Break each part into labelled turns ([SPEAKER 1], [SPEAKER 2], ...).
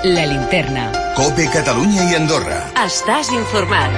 [SPEAKER 1] La Linterna.
[SPEAKER 2] COPE Catalunya i Andorra.
[SPEAKER 1] Estàs informat.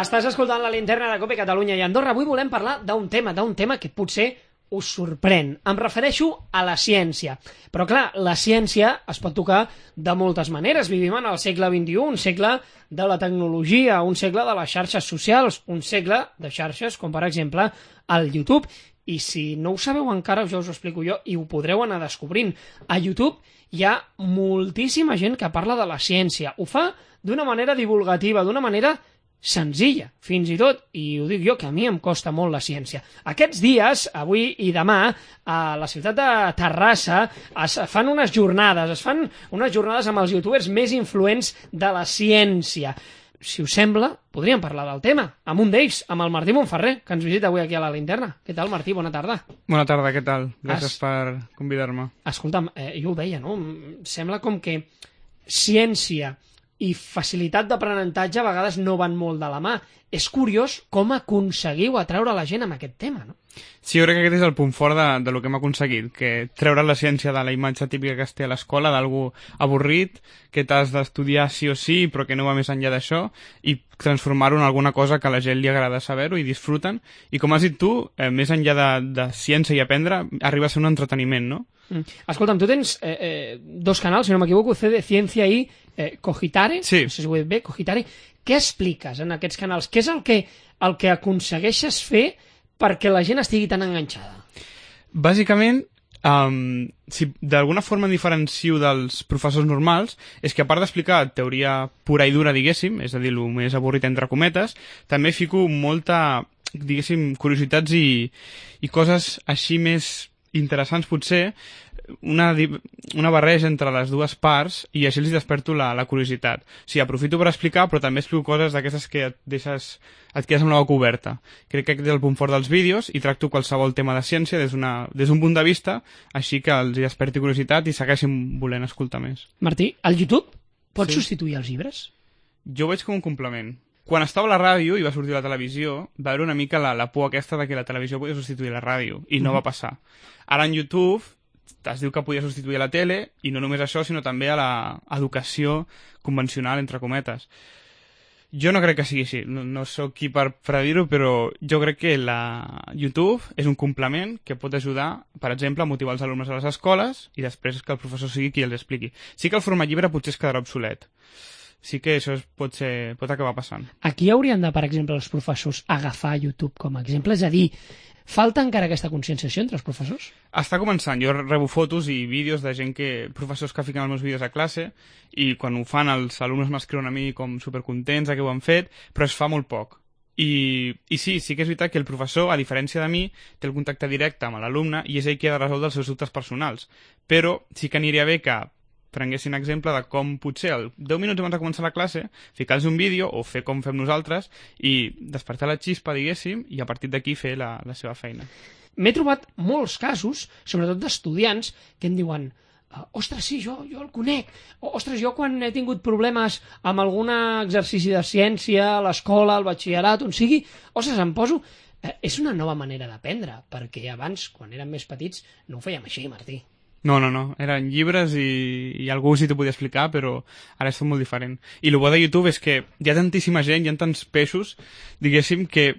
[SPEAKER 3] Estàs escoltant La Linterna de COPE Catalunya i Andorra. Avui volem parlar d'un tema que potser us sorprèn. Em refereixo a la ciència. Però clar, la ciència es pot tocar de moltes maneres. Vivim en el segle XXI, un segle de la tecnologia, un segle de les xarxes socials, un segle de xarxes com per exemple el YouTube. I si no ho sabeu encara, ja us ho explico jo i ho podreu anar descobrint. A YouTube hi ha moltíssima gent que parla de la ciència. Ho fa d'una manera divulgativa, d'una manera senzilla, fins i tot, i ho dic jo, que a mi em costa molt la ciència. Aquests dies, avui i demà, a la ciutat de Terrassa es fan unes jornades amb els youtubers més influents de la ciència. Si us sembla, podríem parlar del tema, amb un d'ells, amb el Martí Montferrer, que ens visita avui aquí a la Linterna. Què tal, Martí? Bona tarda.
[SPEAKER 4] Bona tarda, què tal? Gràcies per convidar-me.
[SPEAKER 3] Escolta'm, jo ho deia, no? Sembla com que ciència i facilitat d'aprenentatge a vegades no van molt de la mà. És curiós com aconseguiu atraure la gent amb aquest tema, no?
[SPEAKER 4] Sí, jo crec que aquest és el punt fort de lo que hem aconseguit, que treure la ciència de la imatge típica que es té a l'escola, d'algú avorrit, que t'has d'estudiar sí o sí, però que no va més enllà d'això, i transformar-ho en alguna cosa que a la gent li agrada saber-ho i disfruten. I com has dit tu, més enllà de ciència i aprendre, arriba a ser un entreteniment, no?
[SPEAKER 3] Escolta'm, tu tens dos canals, si no m'equivoco, CD Ciència i Cogitare,
[SPEAKER 4] sí.
[SPEAKER 3] No sé si ho he dit bé, Cogitare. Què expliques en aquests canals? Què és el que aconsegueixes fer perquè la gent estigui tan enganxada?
[SPEAKER 4] Bàsicament, si d'alguna forma em diferencio dels professors normals, és que a part d'explicar teoria pura i dura, diguéssim, és a dir, el més avorrit entre cometes, també fico molta, diguéssim, curiositats i coses així més interessants potser, una barreja entre les dues parts i així els desperto la curiositat. Sí, aprofito per explicar, però també explico coses d'aquestes que et quedes amb la boca oberta. Crec que aquest és el punt fort dels vídeos i tracto qualsevol tema de ciència des d'un punt de vista, així que els desperti curiositat i segueixin volent escoltar més.
[SPEAKER 3] Martí, el YouTube pot substituir els llibres?
[SPEAKER 4] Jo ho veig com un complement. Quan estava a la ràdio i va sortir la televisió, va haver una mica la por aquesta de que la televisió podia substituir la ràdio, i no va passar. Ara en YouTube es diu que podia substituir la tele, i no només això, sinó també a l'educació convencional, entre cometes. Jo no crec que sigui així, no sóc qui per dir-ho, però jo crec que YouTube és un complement que pot ajudar, per exemple, a motivar els alumnes a les escoles i després que el professor sigui qui els expliqui. Sí que el format llibre potser es quedarà obsolet. Sí que això pot acabar passant.
[SPEAKER 3] Aquí haurien de, per exemple, els professors agafar YouTube com a exemple? És a dir, falta encara aquesta conscienciació entre els professors?
[SPEAKER 4] Està començant. Jo rebo fotos i vídeos de gent professors que fiquen els meus vídeos a classe i quan ho fan els alumnes m'escriuen a mi com supercontents que ho han fet, però es fa molt poc. I sí que és veritat que el professor, a diferència de mi, té el contacte directe amb l'alumne i és ell qui ha de resoldre els seus dubtes personals. Però sí que aniria bé que prenguessin exemple de com potser 10 minuts abans de començar la classe ficar-los un vídeo o fer com fem nosaltres i despertar la xispa, diguéssim, i a partir d'aquí fer la seva feina.
[SPEAKER 3] M'he trobat molts casos, sobretot d'estudiants, que em diuen ostres, sí, jo el conec, ostres, jo quan he tingut problemes amb algun exercici de ciència a l'escola, al batxillerat, on sigui, ostres, em poso... És una nova manera d'aprendre, perquè abans, quan érem més petits, no ho fèiem així, Martí.
[SPEAKER 4] No, eren llibres i algú sí t'ho podia explicar, però ara és tot molt diferent. I el bo de YouTube és que hi ha tantíssima gent, hi ha tants peixos, diguéssim, que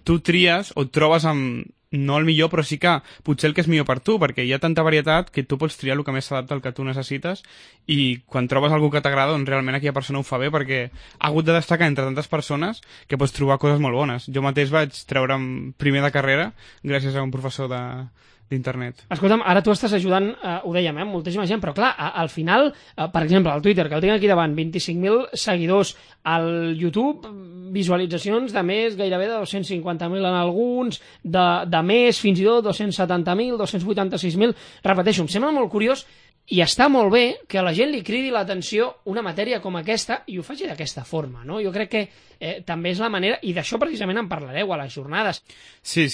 [SPEAKER 4] tu tries o et trobes amb, no el millor, però sí que potser el que és millor per tu, perquè hi ha tanta varietat que tu pots triar el que més s'adapta al que tu necessites i quan trobes algú que t'agrada, doncs realment aquella persona ho fa bé perquè ha hagut de destacar entre tantes persones que pots trobar coses molt bones. Jo mateix vaig treure'm primer de carrera gràcies a un professor d'internet.
[SPEAKER 3] Escolta'm, ara tu estàs ajudant, ho dèiem, moltíssima gent, però clar, al final, per exemple, al Twitter, que el tinc aquí davant, 25.000 seguidors, al YouTube, visualitzacions de més, gairebé de 250.000 en alguns, de més, fins i tot 270.000, 286.000, repeteixo, em sembla molt curiós i està molt bé que a la gent li cridi l'atenció una matèria com aquesta i ho faci d'aquesta forma, no? Jo crec que també és la manera, i d'això precisament en parlareu a les jornades.
[SPEAKER 4] Sí,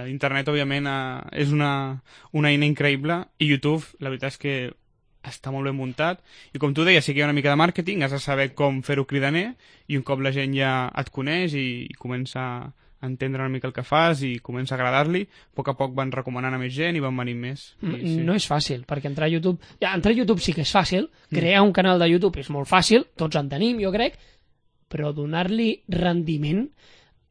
[SPEAKER 4] internet òbviament és una eina increïble i YouTube la veritat és que està molt ben muntat i com tu deies, sí que hi ha una mica de màrqueting, has de saber com fer-ho cridaner i un cop la gent ja et coneix i comença entendre una mica el que fas i comença a agradar-li, a poc van recomanant a més gent i van venint més.
[SPEAKER 3] Sí. No és fàcil, perquè entrar a YouTube... Entrar a YouTube sí que és fàcil, crear un canal de YouTube és molt fàcil, tots en tenim, jo crec, però donar-li rendiment,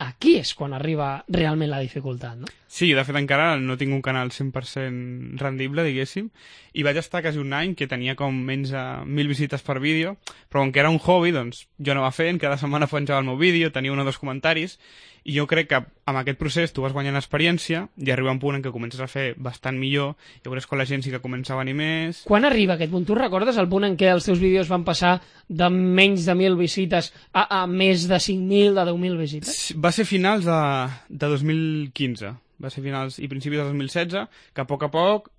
[SPEAKER 3] aquí és quan arriba realment la dificultat, no?
[SPEAKER 4] Sí, de fet encara no tinc un canal 100% rendible, diguéssim, i vaig estar quasi un any que tenia com menys de 1.000 visites per vídeo, però com que era un hobby, doncs jo anava fent, cada setmana penjava el meu vídeo, tenia 1 o 2 comentaris, i jo crec que amb aquest procés tu vas guanyant experiència i arriba un punt en què comences a fer bastant millor, i llavors quan la gent sí que comença a venir més...
[SPEAKER 3] Quan arriba aquest punt? Tu recordes el punt en què els teus vídeos van passar de menys de 1.000 visites a més de 5.000, de 10.000 visites?
[SPEAKER 4] Va ser finals de 2015. Va ser finals i principis de 2016, que a poc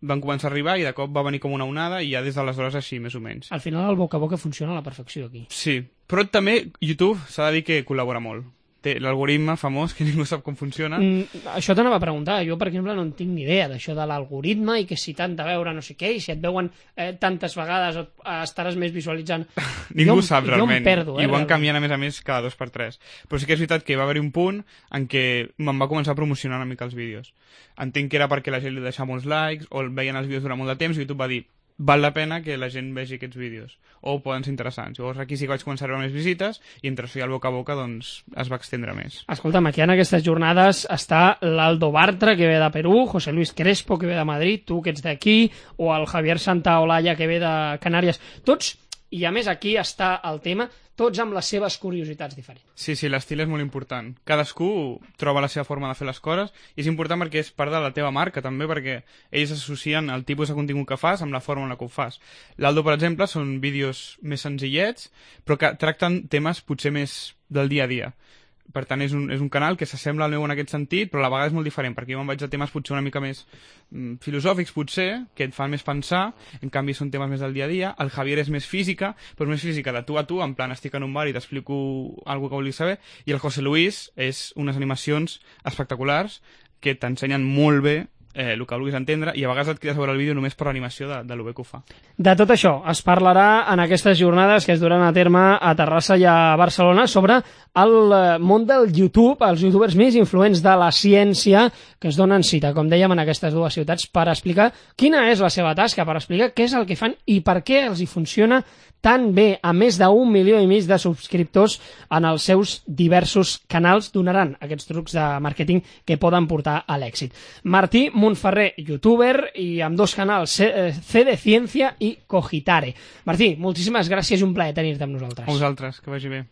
[SPEAKER 4] van començar a arribar i de cop va venir com una onada i ja des d'aleshores així, més o menys.
[SPEAKER 3] Al final el boca a boca funciona a la perfecció aquí.
[SPEAKER 4] Sí, però també YouTube s'ha de dir que col·labora molt. Té l'algoritme famós, que ningú sap com funciona.
[SPEAKER 3] Això t'anava a preguntar. Jo, per exemple, no en tinc ni idea d'això de l'algoritme i que si t'han de veure no sé què, i si et veuen tantes vegades estaràs més visualitzant.
[SPEAKER 4] Ningú sap realment.
[SPEAKER 3] Jo em perdo,
[SPEAKER 4] I ho van canviant a més cada 2 per 3. Però sí que és veritat que va haver un punt en què me'n va començar a promocionar una mica els vídeos. Entenc que era perquè la gent li deixava molts likes o veien els vídeos durant molt de temps i YouTube va dir val la pena que la gent vegi aquests vídeos o poden ser interessants. Llavors aquí sí que vaig començar a veure més visites i entre això i el boca a boca doncs es va extendre més.
[SPEAKER 3] Escolta'm, aquí en aquestes jornades està l'Aldo Bartra, que ve de Perú, José Luis Crespo, que ve de Madrid, tu que ets d'aquí, o el Javier Santaolalla, que ve de Canàries. Tots, i a més aquí està el tema, tots amb les seves curiositats diferents.
[SPEAKER 4] Sí, l'estil és molt important. Cadascú troba la seva forma de fer les coses i és important perquè és part de la teva marca també, perquè ells associen el tipus de contingut que fas amb la forma en la que ho fas. L'Aldo, per exemple, són vídeos més senzillets però que tracten temes potser més del dia a dia. Per tant, és un canal que s'assembla al meu en aquest sentit, però a la vegada és molt diferent, perquè jo me'n vaig a temes potser una mica més filosòfics, potser, que et fan més pensar, en canvi són temes més del dia a dia. El Javier és més física, però més física de tu a tu, en plan estic en un bar i t'explico alguna que vulguis saber, i el José Luis és unes animacions espectaculars que t'ensenyen molt bé el que vulguis entendre i a vegades et quedes a veure el vídeo només per l'animació de lo bé que ho fa.
[SPEAKER 3] De tot això es parlarà en aquestes jornades que es duran a terme a Terrassa i a Barcelona sobre el món del YouTube, els youtubers més influents de la ciència que es donen cita, com dèiem, en aquestes 2 ciutats per explicar quina és la seva tasca, per explicar què és el que fan i per què els hi funciona tan bé, a més d'1,5 milió de subscriptors en els seus diversos canals, donaran aquests trucs de màrqueting que poden portar a l'èxit. Martí Montferrer, youtuber, i amb 2 canals, C de Ciència i Cogitare. Martí, moltíssimes gràcies i un plaer tenir-te amb nosaltres.
[SPEAKER 4] A vosaltres, que vagi bé.